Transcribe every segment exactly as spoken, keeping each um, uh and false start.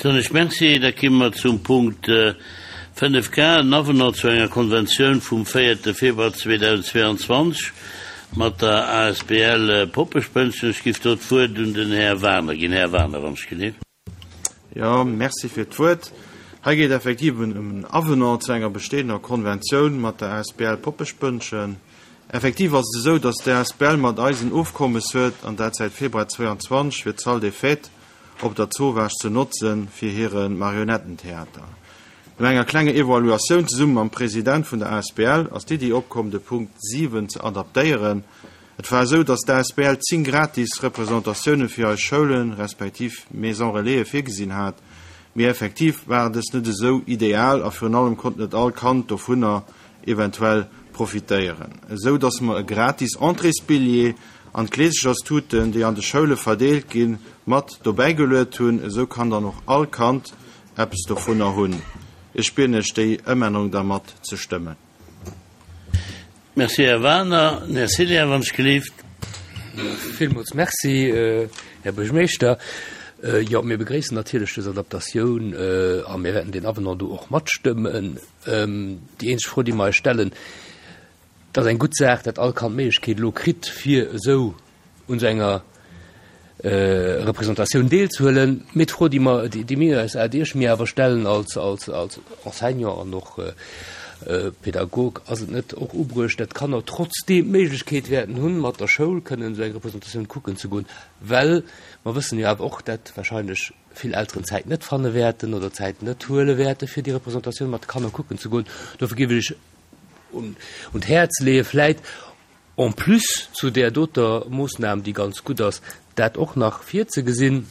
Soen ech Merci. Da ki mer zum Punkt fënnef K, en Avenant zu enger Konventioun vum véierte Februar zweedausendzweeanzwanzeg mat der asbl Poppespënnchen. Ech giff do d'Wuert un den Här Wagener ginn. Här Wagener, wann ech gelift. Jo, merci fir d'Wuert. Hei geet effektiv ëm en Avenant zu enger bestehender Konventioun mat der asbl Poppespënnchen. Effektiv ass et esou, dass d'asbl mat eis en Ofkommes huet, an dat säit Februar zweianzwanzeg, fir d'Salle des Fêtes op der Zowaasch ze notzen fir hire Marionettentheater. No enger klenger Evaluatioun zesumme mam President vun der asbl ass d'Iddi opkomm, de Punkt siwen ze adaptéieren. Et war esou, dass d'asbl zéng gratis Representatioune fir eis Schoulen, respektiv Maison Relaisen virgesinn hat, mee effektiv war dës net esou ideal a virun allem konnt net all Kand dovunner eventuell profitéieren, esou dass mer e gratis Entréesbilljee an d'Kleesecherstuten, déi an de Schoule verdeelt ginn, mat dobäigeluet hunn. Esou kann dann och all Kand eppes dovunner hunn. Ech bieden Iech, déi Ëmännerung da mat ze stëmmen. Merci, Här Wagener. Den Här Cillien, wann ech gelift. Villmools Merci, Här Buergermeeschter. Jo, mir begréissen natierlech dës Adaptatioun a mir wäerten deen Avenant do och matstëmmen. Déi eenzeg Fro, déi mer eis stellen, Et ass eng gutt Saach, dat all Kand d'Méiglechkeet elo kritt, fir esou un esou enger Representatioun deelzehuelen. Mee d'Fro, déi mer, déi mir eis, déi ech mir awer stellen als, als, als Enseignant an och Pädagog, Ass et net och ubruecht, dat d'Kanner trotzdeem d'Méiglechkeet wäerten hunn, mat der Schoul kënnen esou eng Representatioun kucken ze goen? Well mer wëssen jo awer och, dat wahrscheinlech vill Elteren d'Zäit net fanne wäerten oder d'Zäit net huele wäerte fir déi Representatioun mat de Kanner kucken ze goen. Dofir géif ech un d'Häerz leeë vläit en plus zu där doter Moossnam, déi ganz gutt ass, dat och nach virzegesinn.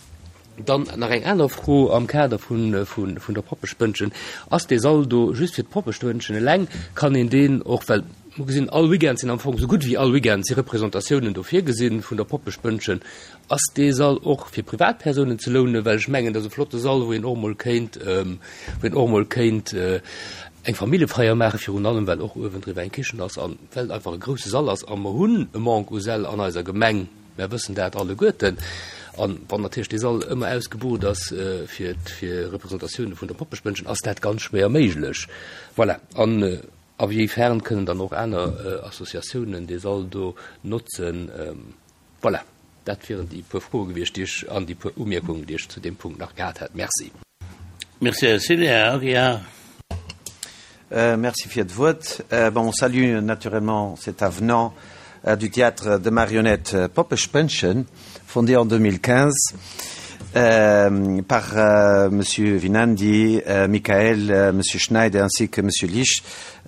Dann nach eng aner Fro am Kader vun der Poppespënnchen. Ass dee Sall do just fir d'Poppespënnchen eleng? Kann een deen och, well mer gesinn, all Weekend sinn am Fong, esou gutt wéi all Weekend si Representatiounen do virgesinn vun der Poppespënnchen, ass dee Sall och fir Privatpersounen ze lounen? Well ech mengen, dat ass e flotte Sall, wou een och emol kéint, wou een och emol kéint eng Familljefeier maachen, virun allem well och uewendriwwer eng Kichen ass an well et einfach e grousse Sall ass a mer hunn e Manque u Säll an eiser Gemeng, mer wëssen dat alleguerten. An wann natierlech dee Sall ëmmer ausgebucht ass fir fir Representatioune vun der Poppespënnchen, ass dat ganz schwéier méiglech. Voilà. An a wéi fern kënnen dann och aner Associatiounen dee Sall do notzen? Voilà, dat wieren déi puer Froe gewiescht, déi ech an déi puer Umierkungen, déi ech zu deem Punkt nach gehat hätt. Merci. Merci, Här Cillien. Här Euh, merci fir d'Wuert. Euh, bon, on salue naturellement cet avenant euh, du théâtre de marionnettes euh, Poppespënnchen, fondé en deux mille quinze euh, par euh, Monsieur Vinandi, euh, Michael, euh, Monsieur Schneider ainsi que Monsieur Lich.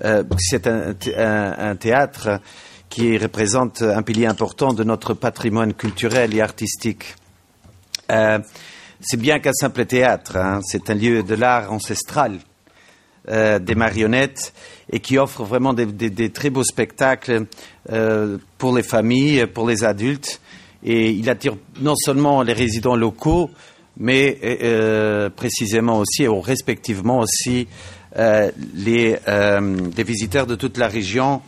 Euh, c'est un, un, un théâtre qui représente un pilier important de notre patrimoine culturel et artistique. Euh, c'est bien qu'un simple théâtre, hein, c'est un lieu de l'art ancestral euh, des marionnettes et qui offre vraiment des, des, des très beaux spectacles euh, pour les familles, pour les adultes. Et il attire non seulement les résidents locaux, mais euh, précisément aussi et respectivement aussi euh, les, euh, les visiteurs de toute la région,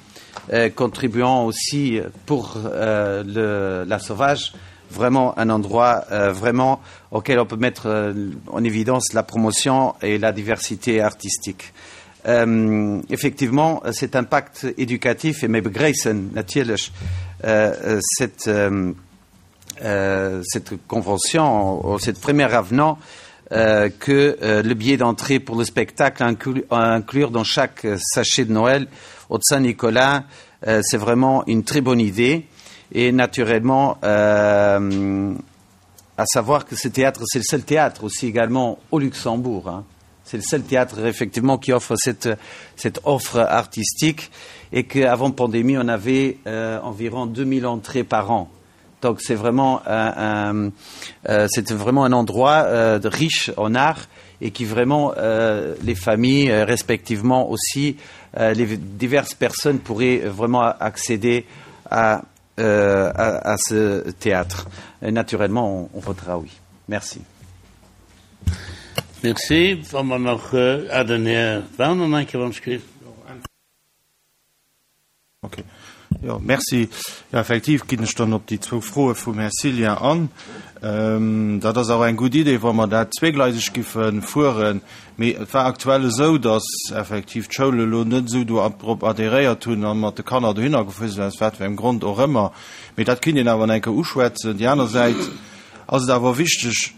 euh, contribuant aussi pour euh, le, la Sauvage vraiment un endroit euh, vraiment auquel on peut mettre euh, en évidence la promotion et la diversité artistique. Euh, effectivement, cet impact éducatif et mir begréissen natierlech euh, cette, euh, euh, cette convention, cette première avenant euh, que euh, le billet d'entrée pour le spectacle inclu, à inclure dans chaque sachet de Noël au Saint-Nicolas, euh, c'est vraiment une très bonne idée. Et naturellement, euh, à savoir que ce théâtre, c'est le seul théâtre aussi également au Luxembourg. Hein. C'est le seul théâtre effectivement qui offre cette, cette offre artistique et qu'avant pandémie, on avait euh, environ deux mille entrées par an. Donc c'est vraiment un, un, euh, c'est vraiment un endroit euh, de riche en art et qui vraiment euh, les familles euh, respectivement aussi euh, les diverses personnes pourraient vraiment accéder à, euh, à, à ce théâtre. Et naturellement, on, on votera oui. Merci. Merci. Wa mer nach äh, ah, den Här Werner, eng Kéier, wann ech Okay. Jo, merci. Jo, effektiv ginn ech dann op déi zwou Froe vum Här Cillien an. Dat ass awer eng gutt Idee, wa mer dat zweegleiseg giffe fueren. Mee et war aktuell esou, datt effektiv d'Schoule elo net esou do drop adhéréiert hunn a mat de Kanner dohinner gefuer sinn, aus wat fir engem Grond och ëmmer. Mee dat kinnt een awer nach eng Kéier uschwätzen. Déi aner Säit ass et awer wichteg,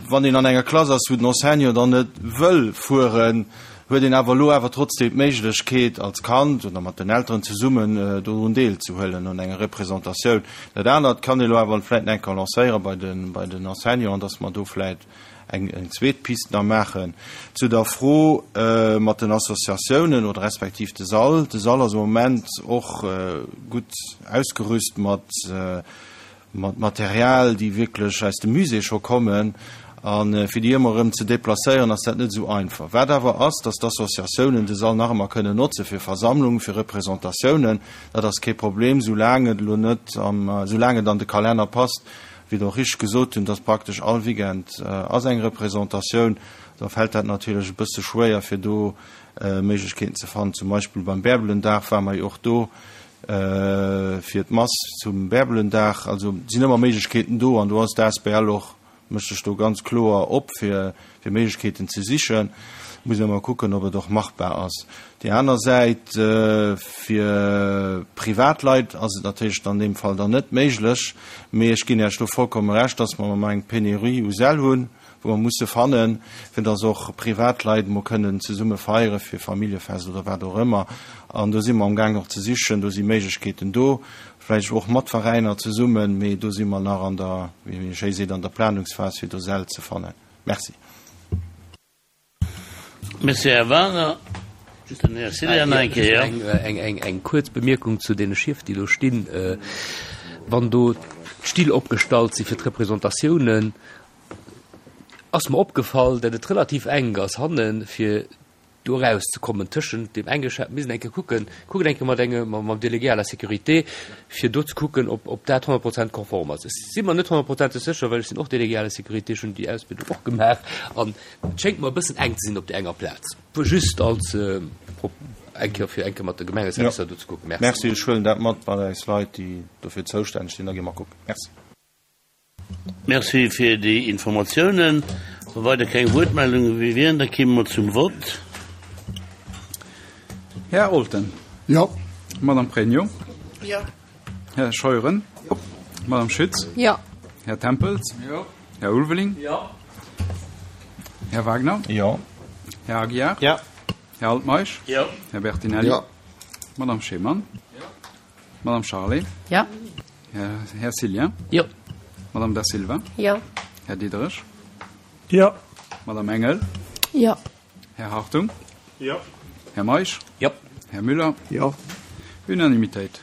wann een an enger Klass ass, wou den Enseignant dann net wëll fueren, huet een awer elo awer trotzdem d'Méiglechkeet als Kand oder mat den Elteren zesummen dorun deelzehuelen un enger Representatioun. Dat anert kann ee elo awer vläit nach eng Kéier lancéiere bei den, bei den Enseignanten, dass mer do vläit eng, eng zweet Piste nach maachen. Zu der Fro mat den Associatiounen oder respektiv de Sall. De Sall ass am Moment och gutt ausgerüst mat, mat Material, déi wierklech aus dem Musée scho kommen. A fir déi ëmmer erëm ze deplacéieren, ass dat net esou einfach. Wat awer ass, dass d'Associatiounen de Sall nach ëmmer kënnen notze fir Versammlungen, fir Representatiounen. Dat ass kee Problem, soulaang et elo net am, soulaang et an de Kalenner passt. Wéi Der och richteg gesot hunn, dass praktesch all Weekend ass eng Representatioun. Da fält dat natierlech e bësse schwéier, fir do Méiglechkeeten ze fannen. Zum Beispill beim Bärbelendag ware mer jo och do fir d'Mass zum Bärbelendag. Also et sinn ëmmer Méiglechkeeten do an do ass d'ASBL och, mécht sech do ganz kloer op, fir fir Méiglechkeeten ze sichen. Muss een emmer kucken, ob et och machbar ass. Déi aner Säit, fir Privatleit ass et natierlech an deem Fall dann net méiglech. Mee ech ginn Iech do vollkomme Recht, dass mer ëmmer eng Pénurie u Säll hunn, wou mer musse fannen, fir dass och Privatleit emol kënnen zesumme feiere fir Familljefest oder wat och ëmmer. An do si mer amgaangen och ze sichen, do si Méiglechkeeten do, vläicht och mat Veräiner zesummen, mee do si mer nach an der, wéi ee schéi seet, an der Planungsphas, fir do Säll ze fannen. Merci. Merci, Här Wagner. Den Här Cillien nach eng Kéier. Eng kuerz Bemierkung zu deene Schief, déi do stinn. Wann do d'Still opgestallt si fir d'Representatiounen, ass mer opgefall, datt et relativ enk ass hannen, fir do erauszekommen tëschent deem enge Schaf. Mir sinn eng Kéier kucken, kucken eng Kéier mat engem, mam Délégué à la sécurité, fir do ze kucken, ob, ob dat honnert Prozent konform ass. Ech si mer net honnertprozenteg sécher, well ech sinn och Délégué à la sécurité, ech hunn déi Ausbildung och gemaach an et schéngt mer e bëssen enk ze sinn op där enger Plaz. Just als eng Kéier, fir eng Kéier mat de Gemengeservicer do ze kucken. Merci. Merci, ech huelen dat mat bei eis Leit, déi dofir zoustänneg sinn, da gi mer kucken. Merci. Merci fir déi Informatiounen. Wa weider keng Wuertmeldunge méi wieren, da kéime mer zum Vott. Här Olten. Jo. Madame Pregno. Jo. Här Scheuren. Jo. Madame Schütz. Jo. Här Tempels. Jo. Här Ulveling. Jo. Här Wagner. Jo. Här Aguiar. Jo. Här Altmeisch. Jo. Här Bertinelli. Jo. Madame Schemann. Jo. Madame Charlé. Jo. Här Cillien. Jo. Madame Da Silva. Jo. Här Diderich. Jo. Madame Engel. Jo. Här Hartung. Jo. Här Meisch. Jo. Här Müller. Jo. Unanimitéit.